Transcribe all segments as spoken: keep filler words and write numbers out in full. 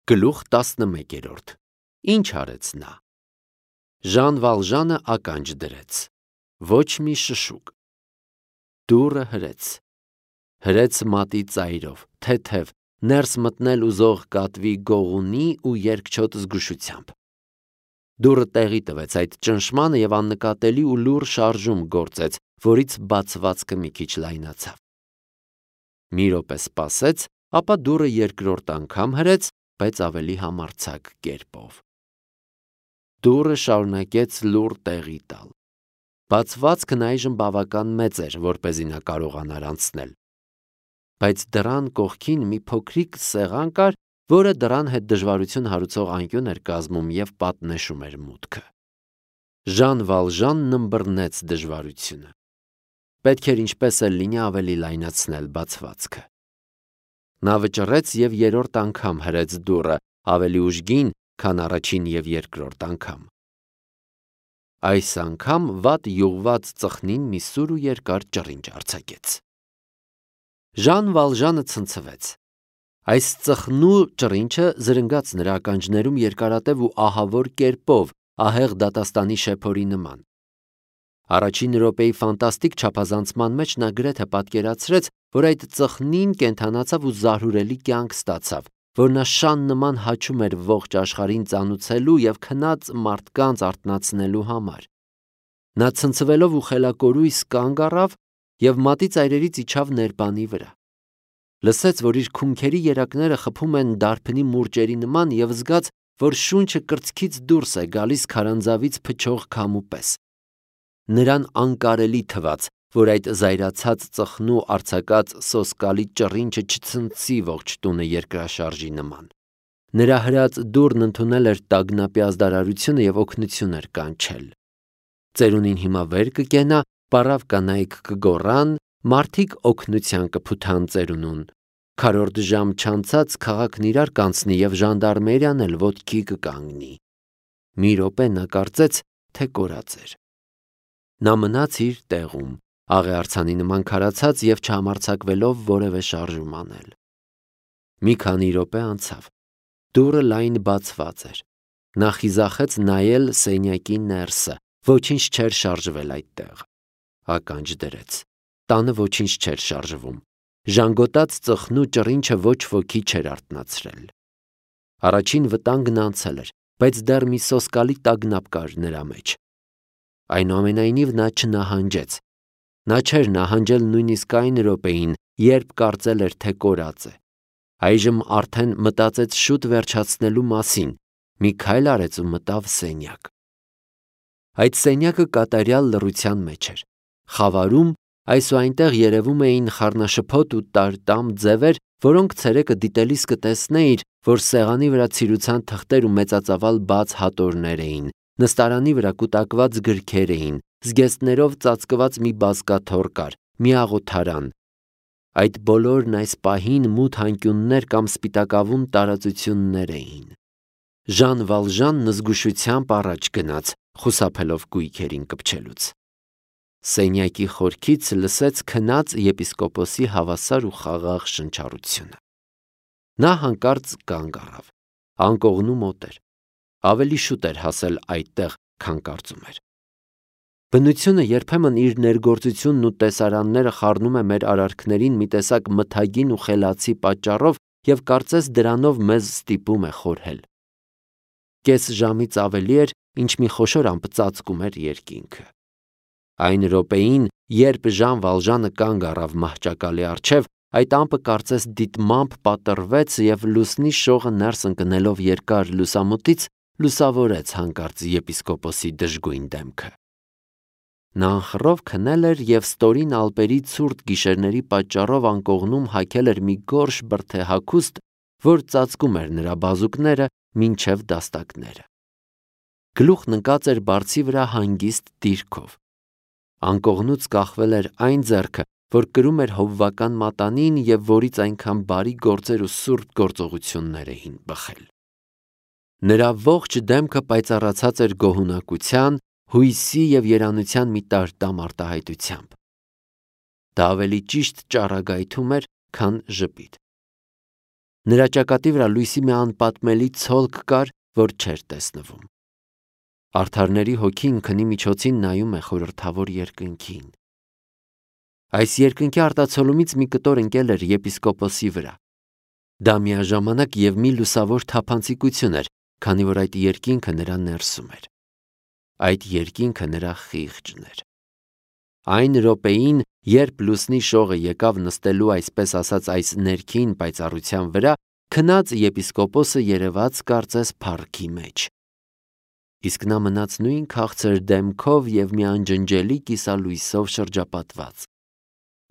Գլուխ տասնմեկերորդ Ինչ արեց նա։ Ժան Վալժանը ականջ դրեց, ոչ մի շշուկ։ Դուռը հրեց, հրեց մատի ծայրով, թեթև, ներս մտնել ուզող կատվի գողունի ու երկչոտ զգուշությամբ։ Դուռը տեղի տվեց այդ ճնշմանը և աննկատելի ու լուռ շարժում գործեց, որից բացվածքը մի քիչ լայնացավ։ Մի րոպե սպասեց, ապա դուռը երկրորդ անգամ հրեց, բայց ավելի համարձակ կերպով։ Դուռը շարունակեց լուռ տեղի տալ։ Բացվածքն այժմ բավական մեծ էր, որպեսզի նա կարողանար անցնել։ Բայց դռան կողքին մի փոքրիկ սեղան կար, որը դռան հետ դժվարություն հարուցող անկյուն էր կազմում և պատնեշում էր մուտքը։ Ժան Վալժանն ըմբռնեց դժվարությունը։ Պետք էր ինչպես էլ լինի ավելի լայնացնել բացվածքը։ Նա վճռեց և երրորդ անգամ հրեց դուռը, ավելի ուժգին, քան առաջին և երկրորդ անգամ։ Այս անգամ վատ յուղված ծխնին մի սուր ու երկար ճռինչ արձակեց։ Ժան Վալժանը ցնցվեց։ Այս ծխնու ճռինչը զրնգաց նրա ականջներում երկարատև ու ահավոր կերպով, ահեղ դատաստանի շեփորի նման։ Առաջին րոպեի ֆանտաստիկ չափազանցման մեջ նա գրեթե պատկերացրեց, որ այդ ծխնին կենդանացավ ու զարհուրելի կյանք ստացավ, որ նա շան նման հաչում էր ողջ աշխարհին ծանուցելու և քնած մարդկանց արթնացնելու համար։ Նա ցնցվելով ու խելակորույս կանգ առավ և մատի ծայրերից իջավ ներբանի վրա։ Լսեց, որ իր քունքերի երակները խփում են դարբնի մուրճերի նման և զգաց, որ շունչը կրծքից դուրս է գալիս քարանձավից փչող քամու պես։ Նրան անկարելի թվաց, որ այդ զայրացած ծխնու արձակած սոսկալի ճռինչը չցնցի ողջ տունը երկրաշարժի նման։ Նրա հրած դուռն ընդունել էր տագնապի ազդարարությունը և օգնություն էր կանչել։ Ծերունին հիմա վեր կկենա, պառավ կանայք կգոռան, մարդիկ օգնության կփութան ծերունուն։ Քառորդ ժամ չանցած քաղաքն իրար կանցնի և ժանդարմերիան էլ ոտքի կկանգնի։ Մի րոպե նա կարծեց, թե կորած էր։ Նա մնաց իր տեղում, աղեղարցանի նման քարացած և չհամարձակվելով որևէ շարժում անել։ Մի քանի րոպե անցավ։ Դուռը լայն բացված էր։ Նա խիզախեց նայել սենյակի ներսը, ոչինչ չէր շարժվել այդտեղ։ Ականջ դրեց։ Տանը ոչինչ չէր շարժվում։ Ժանգոտած ծխնու ճռինչը ոչ ոքի չէր արթնացրել։ Առաջին վտանգն անցել էր, բայց դեռ մի սոսկալի տագնապ կար նրա մեջ։ Այնուամենայնիվ նա չնահանջեց։ Նա չէր նահանջել նույնիսկ այն րոպեին, երբ կարծել էր, թե կորած է։ Այժմ արդեն մտածեց շուտ վերջացնելու մասին, մի քայլ արեց ու մտավ սենյակ։ Այդ սենյակը կատարյալ լռության մեջ էր։ Խավարում այս ու այնտեղ երևում էին խառնաշփոթ ու տարտամ ձևեր, որոնք ցերեկը դիտելիս կտեսնեիր, որ սեղանի վրա ցիրուցան թղթեր ու մեծածավալ բաց հատորներ էին, նստարանի վրա կուտակված գրքեր էին, զգեստներով ծածկված մի բազկաթոռ կար, մի աղոթարան։ Այդ բոլորն այս պահին մութ անկյուններ կամ սպիտակավուն տարածություններ էին։ Ժան Վալժանն զգուշությամբ առաջ գնաց, խուսափելով կույքերին կպչելուց։ Սենյակի խորքից լսեց քնած եպիսկոպոսի հավասար ու խաղաղ շնչառությունը։ Նա հանկարծ կանգ առավ։ Անկողնու մոտ էր։ Ավելի շուտ էր հասել այդտեղ, քան կարծում էր։ Բնությունը երբեմն իր ներգործությունն ու տեսարանները խառնում է մեր արարքներին մի տեսակ մթագին ու խելացի պատճառով և կարծես դրանով մեզ ստիպում է խորհել։ Կես ժամից ավելի էր, ինչ մի խոշոր ամպ ծածկում էր երկինքը։ Այն րոպեին, երբ Ժան Վալժանը կանգ առավ մահճակալի առջև, այդ ամպը կարծես դիտմամբ պատռվեց և լուսնի շողը ներս ընկնելով երկար լուսամուտից լուսավորեց հանկարծ եպիսկոպոսի դժգույն դեմքը։ Նա անխռով քնել էր և ստորին ալպերի ցուրտ գիշերների պատճառով անկողնում հագել էր մի գորշ բրդե հագուստ, որ ծածկում էր նրա բազուկները մինչև դաստակները։ Գլուխն ընկած էր բարձի վրա հանգիստ դիրքով։ Անկողնուց կախվել էր այն ձեռքը, որ կրում էր հովվական մատանին և որից այնքան բարի գործեր ու սուրբ գործողություններ էին բխել։ Նրա ողջ դեմքը պայծառացած էր գոհունակության, հույսի և երանության մի տարտամ արտահայտությամբ։ Դա ավելի ճիշտ ճառագայթում էր, քան ժպիտ։ Նրա ճակատի վրա լույսի մի անպատմելի ցոլք կար, որ չէր տեսնվում։ Արդարների հոգին քնի միջոցին նայում է խորհրդավոր երկնքին։ Այս երկնքի արտացոլումից մի կտոր ընկել էր եպիսկոպոսի վրա։ Դա միաժամանակ և մի լուսավոր թափանցիկություն էր, քանի որ այդ երկինքը նրա ներսում էր։ Այդ երկինքը նրա խիղճն էր։ Այն րոպեին, երբ լուսնի շողը եկավ նստելու այսպես ասած այս ներքին պայծառության վրա, քնած եպիսկոպոսը երևաց կարծես փառքի մեջ։ Իսկ նա մնաց նույն քաղցր դեմքով և մի անջնջելի կիսալույսով շրջապատված։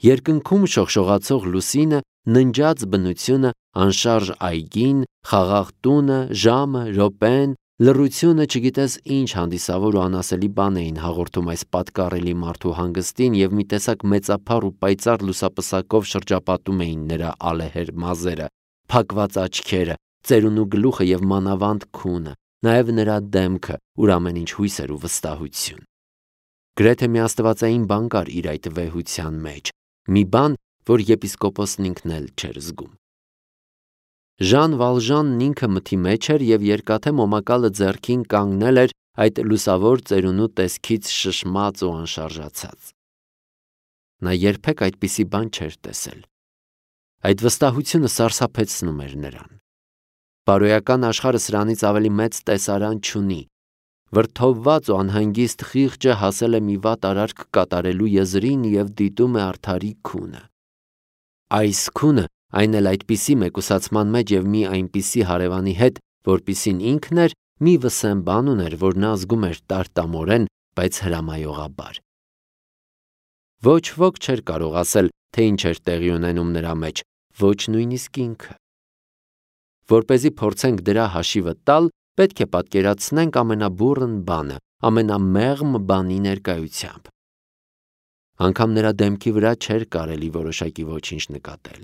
Երկնքում շողշողացող լուսինը, ննջած բնությունը, անշարժ այգին, խաղաղ տունը, ժամը, րոպեն, լռությունը չգիտես ինչ հանդիսավոր ու անասելի բան էին հաղորդում այս պատկառելի մարդու հանգստին և մի տեսակ մեծափառ ու պայծառ լուսապսակով շրջապատում էին նրա ալեհեր մազերը, փակված աչքերը, ծերունու գլուխը և մանավանդ քունը, նաև նրա դեմքը, ուր ամեն ինչ հույս էր ու վստահություն։ Գրեթե մի աստվածային բան կար իր այդ վեհության մեջ, մի բան, որ եպիսկոպոսն ինքն էլ չէր զգում։ Ժան Վալժանն ինքը մթի մեջ էր և երկաթե մոմակալը ձեռքին կանգնել էր այդ լուսավոր ծերունու տեսքից շշմած ու անշարժացած։ Նա երբեք այդպիսի բան չէր տեսել։ Այդ վստահությունը սարսափեցնում էր նրան։ Բարոյական աշխարհը սրանից ավելի մեծ տեսարան չունի։ Վրդովված ու անհանգիստ խիղճը հասել է մի վատ արարք կատարելու եզրին և դիտում է արդարի քունը։ Այս քունը, այն էլ այդպիսի մեկուսացման մեջ և մի այնպիսի հարևանի հետ, որպիսին ինքն էր, մի վսեմ բան ուներ, որ նա զգում էր տարտամորեն, բայց հրամայողաբար։ Ոչ ոք չէր կարող ասել, թե ինչ էր տեղի ունենում նրա մեջ, ոչ նույնիսկ ինքը։ Որպեսզի փորձենք դրա հաշիվը տալ, պետք է պատկերացնենք ամենաբուռն բանը, ամենամեղմ բանի ներկայությամբ։ Անգամ նրա դեմքի վրա չէր կարելի որոշակի ոչինչ նկատել։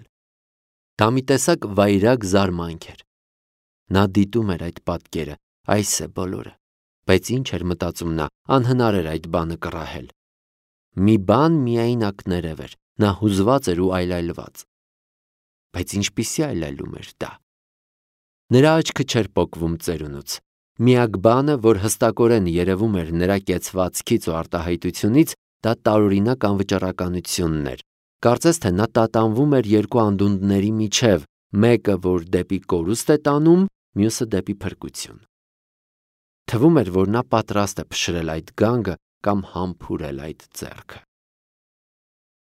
Դա մի տեսակ վայրագ զարմանք էր։ Նա դիտում էր այդ պատկերը, այս է բոլորը, բայց ինչ էր մտածում նա, անհնար էր այդ բանը կռահել։ Մի բան միայնակ ներև էր, նա հուզված էր ու այլայլված։ Բայց ինչպիսի այլայլում էր դա։ Նրա աչքը չէր պոկվում ծերունուց։ Միակ բանը, որ հստակորեն երևում էր նրա կեցվածքից ու արտահայտությունից, դա տարօրինակ անվճռականությունն էր։ Կարծես թե նա տատանվում էր երկու անդունդների միջև, մեկը, որ դեպի կորուստ է տանում, մյուսը դեպի փրկություն։ Թվում էր, որ նա պատրաստ է փշրել այդ գանգը կամ համբուրել այդ ձեռքը։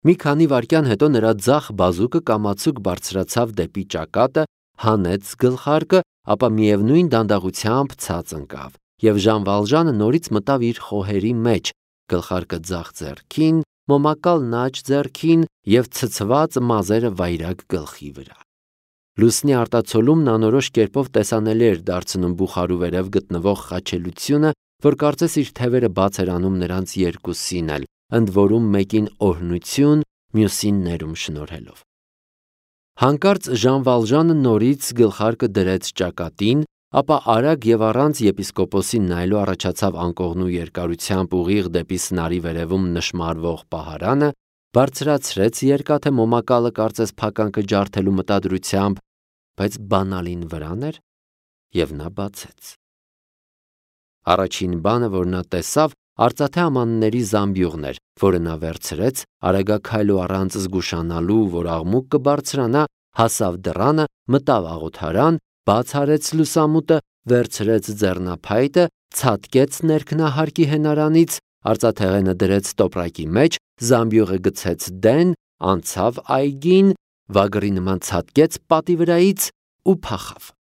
Մի քանի վայրկյան հետո նրա ձախ բազուկը կամացուկ բարձրացավ դեպի ճակատը, հանեց գլխարկը, ապա միևնույն դանդաղությամբ ցած ընկավ, և Ժան Վալժանը նորից մտավ իր խոհերի մեջ, գլխարկը ձախ ձեռքին, մոմակալն աջ ձեռքին և ցցված մազերը վայրագ գլխի վրա։ Լուսնի արտացոլումն անորոշ կերպով տեսանելի էր դարձնում բուխարու վերև գտնվող խաչելությունը, որ կարծես իր թևերը բաց էր անում նրանց երկուսին էլ, ընդ որում մեկին օրհնություն, մյուսին ներում շնորհելով։ Հանկարծ Ժան Վալժանը նորից գլխարկը դրեց ճակատին, ապա արագ և առանց եպիսկոպոսին նայելու առաջացավ անկողնու երկարությամբ ուղիղ դեպի սնարի վերևում նշմարվող պահարանը, բարձրացրեց երկաթե մոմակալը կարծես փականքը ջարդելու մտադրությամբ, բայց բանալին վրան էր և նա բացեց։ Առաջին բանը, որ նա տեսավ, արծաթե ամանների զամբյուղն էր, որը նա վերցրեց, արագաքայլ ու առանց զգուշանալու, որ աղմուկ կբարձրանա, հասավ դռանը, մտավ աղոթարան, բաց արեց լուսամուտը, վերցրեց ձեռնափայտը, ցատկեց ներքնահարկի հենարանից, արծաթեղենը դրեց տոպրակի մեջ, զամբյուղը գցեց դեն, անցավ այգին, վագրի նման ցատկեց պատի վրայից ու փախավ։